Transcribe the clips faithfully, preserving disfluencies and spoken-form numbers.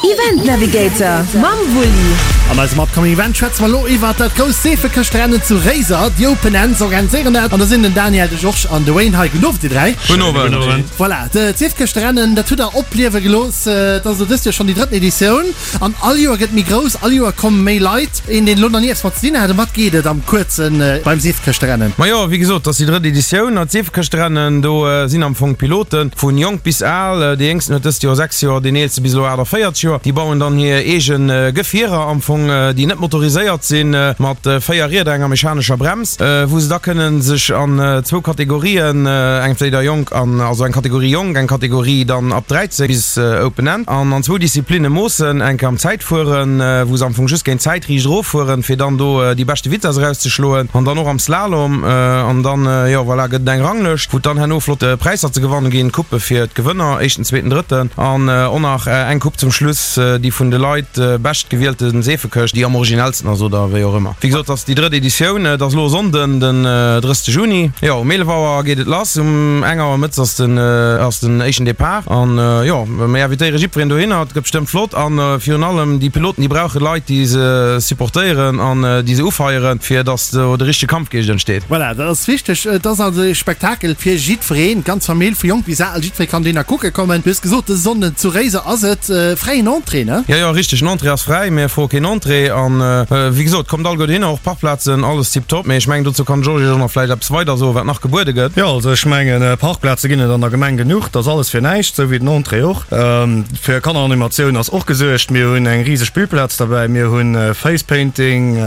Event Navigator mam Wulli. An eisem Upcoming Event schwätze mer elo iwwert dat grousst Seefekëschtrennen zu Réiser. Déi Open Ends organiséieren dat an da sinn den Daniel, de Georges an de Wayne hei. Gudden Owend, dir dräi. Gudden Owend. Voilà, d'Seefekëschtrennen, dat hutt der opliewe gelooss. Et ass elo dëst Joer schonn déi drëtten Editioun an all Joer gëtt méi grouss, all Joer komme méi Leit. Een, deen elo nach ni eppes mat ze dinn hat, ëm wat geet et am Kuerze beim Seefekëschtrennen? Majo, wéi gesot, et ass déi drëtt Editioun. An d'Seefekëschtrennen, do sinn am Fong d'Piloten vu jonk bis al. Dee jéngsten huet dëst Joer sechs Joer, deen eelste bis elo aachtavéierzeg Joer. Déi bauen dann hir eege Gefierer am Fong, déi net motoriséiert sinn, mat véier Rieder, enger mechanescher Brems, wou se da kënne sech an zwou Kategorien, entweder jonk an, also eng Kategorie jonk, eng Kategorie dann ab dräizéng bis Open End, an an zwou Disziplinne moossen, eng Kéier am Zäitfueren, wou se am Fong just géint d'Zäit riicht eroffueren, fir dann do déi beschte Vitess erauszeschloen, an dann och am Slalom. An dann, jo voilà, gëtt et eng Ranglëscht, wou et dann herno flott Präisser ze gewanne ginn, Couppe fir d'Gewënner, éischten, zweeten, drëtten, an och nach eng Coupe zum Schluss, déi vun de Leit bescht gewielte Seefekëscht, déi am originellsten ass oder wéi och ëmmer. Wéi gesot, et ass déi drëtt Editioun, et ass elo e Sonnden, den drësste Juni. Jo, um eelef Auer geet et lass, um eng Auer mëttes ass den ass den éischten Depart. An jo, mir invitéiere jiddwereen dohinner, et gëtt bestëmmt flott. An virun allem déi Piloten, déi brauche Leit, déi se supportéieren an déi se ufeieren, fir datt do de richtege Kampfgeescht entsteet. Voilà, dat ass wichteg. Et ass also e Spektakel fir jiddwereen, d'ganz Famill, vu jonk bis al, jiddweree kann dohinner kucke kommen. Du hues gesot, dëse Sonnden zu Réiser ass et fräien Entrée, ne? Jo, jo, richteg, den Entrée ass fräi, mir froe keen Entrée. An wéi gesot, kommt alleguer dohinner, och Parkplazen, alles tiptop. Mee ech mengen, dozou kann de Georges Iech och nach vläicht eppes weider soen, wat nach gebuede gëtt. Jo, also ech mengen, Parkplaze ginn et an der Gemeng genuch, dat ass alles fir näischt, esou wéi den Entrée och. Fir Kanneranimatioun ass och gesuergt, mir hunn eng riseg Spillplaz derbäi, mir hunn Face Painting,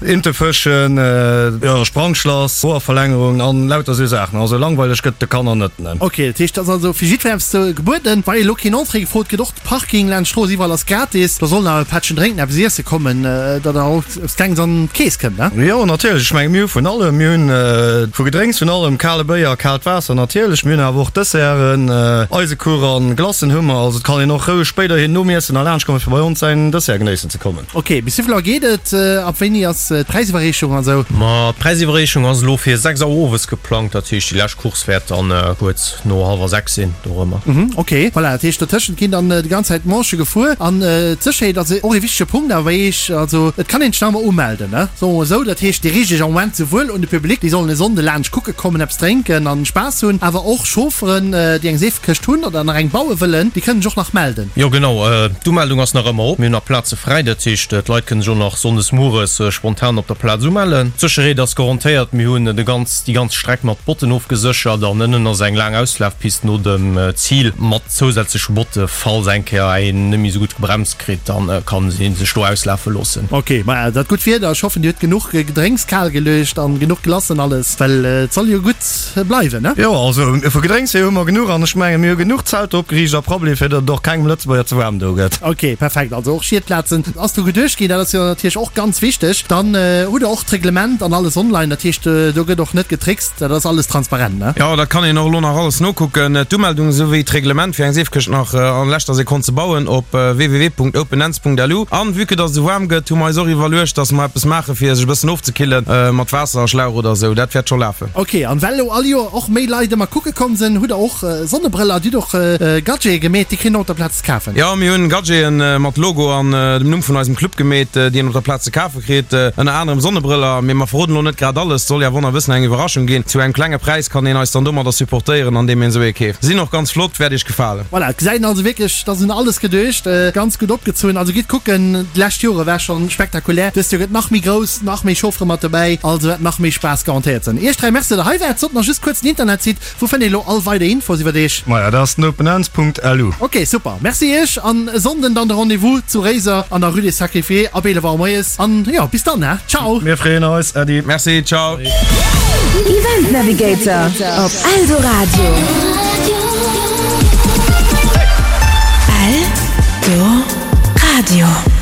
Intefëschen, jo, Sprangschlass, Hoerverlängerung an lauter esou Saachen. Also langweileg gëtt et de Kanner net, ne. Ok, dat heescht, et ass also fir jiddweree eppes gebueden. Wa elo keen Entrée gefrot gëtt, och de Parking laanscht d'Strooss iwwerall ass gratis, da soll nach e Pättchen drénken, eppes iesse kommen, datt der och eppes Klenges an d'Keess kënnt, ne? Jo, natierlech. Ech menge mir hu vun allem. Mir hunn vu Gedrénks vun allem, kale Béier, kaalt Waasser natierlech. Mir hunn awer och Desserten, Eisekuch an Glacen hu mer. Also et kann een och roueg spéiderhin nom Iessen nach laanscht kommen, fir bei ons säin Dessert genéissen ze kommen. Ok, bis wéivill Auer geet et? Ab wéini ass d'Präisiwwerreechung an esou? Ma d'Präisiwwerreechung ass elo fir sechs Auer owes geplangt. Dat heescht, déi lescht Course wäert dann kuerz no hallwer sechs sinn, dorëmmer. Mhm, ok. Voilà, dat heescht dotëschent ginn dann déi ganz Zäit d'Manchë gefuer. An d'Sécherheet ass och ee wichtege Punkt awer bei Iech. Also et kann een sech nach ëmmer umelden, ne? Soe mer esou. Dat heescht, Dir riicht Iech am Moment souwuel un de Public, déi sollen e Sonnde laanscht kucke kommen, eppes drénken an Spaass hunn, awer och Chaufferen, déi eng Seefekëscht hunn oder nach eng baue wëllen, déi kënnen sech och nach melden. Jo genau, d'Umeldung ass nach ëmmer op. Mir hunn nach Plaze fräi, dat heescht d'Leit kënnen sech och nach sonndes mueres spontan op der Plaz umellen. D'Sécherheet ass garantéiert, mir hunn de ganz déi ganz Streck mat Botten ofgeséchert an ënnen ass eng laang Auslafpist no dem Zil mat zousätzleche Botte. Falls eng Kéier een net méi esou gutt gebremst kritt, dann kann een sech do auslafe loossen. Ok, maja dat gutt Wieder, ech hoffen dir hutt genuch Gedrénks kal geluecht an genuch Glacen alles, well et soll jo gutt bleiwen, ne? Jo, also vu Gedrénks hier hu mer genuch an ech mengen mir hu genuch Zelter opgeriicht a Prabbeli fir datt et och kengem Lëtzebuerger ze waarm do gëtt. Ok, perfekt, also och Schietplazen ass dru geduecht ginn, dat ass jo natierlech och ganz wichteg. Dann hutt der och d'Reglement an alles online, dat heescht do gëtt och net getrickst, dat ass alles transparent, ne? Jo, dat kann een och elo nach alles nokucken, d'Umeldung esouwéi d'Reglement fir eng Seefkëscht nach an leschter Sekonn ze bauen op www.openends.lu. An vue que dass et esou waarm gëtt, hu mer eis och iwwerluecht, dass mer eppes maache fir sech e bëssen ofzekillen mat Waasser a Schlauch oder esou. Dat wäert scho lafen. Ok, an well elo all Joer och méi Leit ëmmer kucke komm sinn, hutt der och Sonnebrëller, dir hutt och Gadgete gemeet, déi kritt een och op der Plaz ze kafen? Jo, mir hunn Gadgeten mat Logo an dem Numm vun eisem Club gemeet, déi een op der Plaz ze kafe kritt. Ënner anerem Sonnebrëller, mee mer verroden elo net grad alles, et soll jo awer och nach e bëssen eng Iwwerraschung ginn. Zu engem klenge Präis kann een eis dann domadder supportéieren, andeem een esou ee keeft. Sinn och ganz flott, wäert iech gefalen. Voilà, et gesäit een also wierklech, et ass un alles geduecht, ganz gutt opgezunn. Also gitt kucken, d'lescht Jore war schonn spektakulär, dëst Joer gëtt nach méi grouss, nach méi Chauffere mat dobäi, also wäert nach méi Spaass garantéiert sinn. Iech dräi Merci, datt der hei waart. Sot nach just kuerz den Internetsite, wou fënnt een elo all weider Infos iwwert iech? Maja, dat ass den openends.lu. Ok, super, Merci iech an e Sonnden dann de Rendez-vous zu Réiser an der Rue des Sacrifiés ab eelef Auer moies. An jo, bis dann, he, ciao! Mir freeën eis, Äddi. Merci, ciao! Event Navigator op Eldoradio. Eldoradio.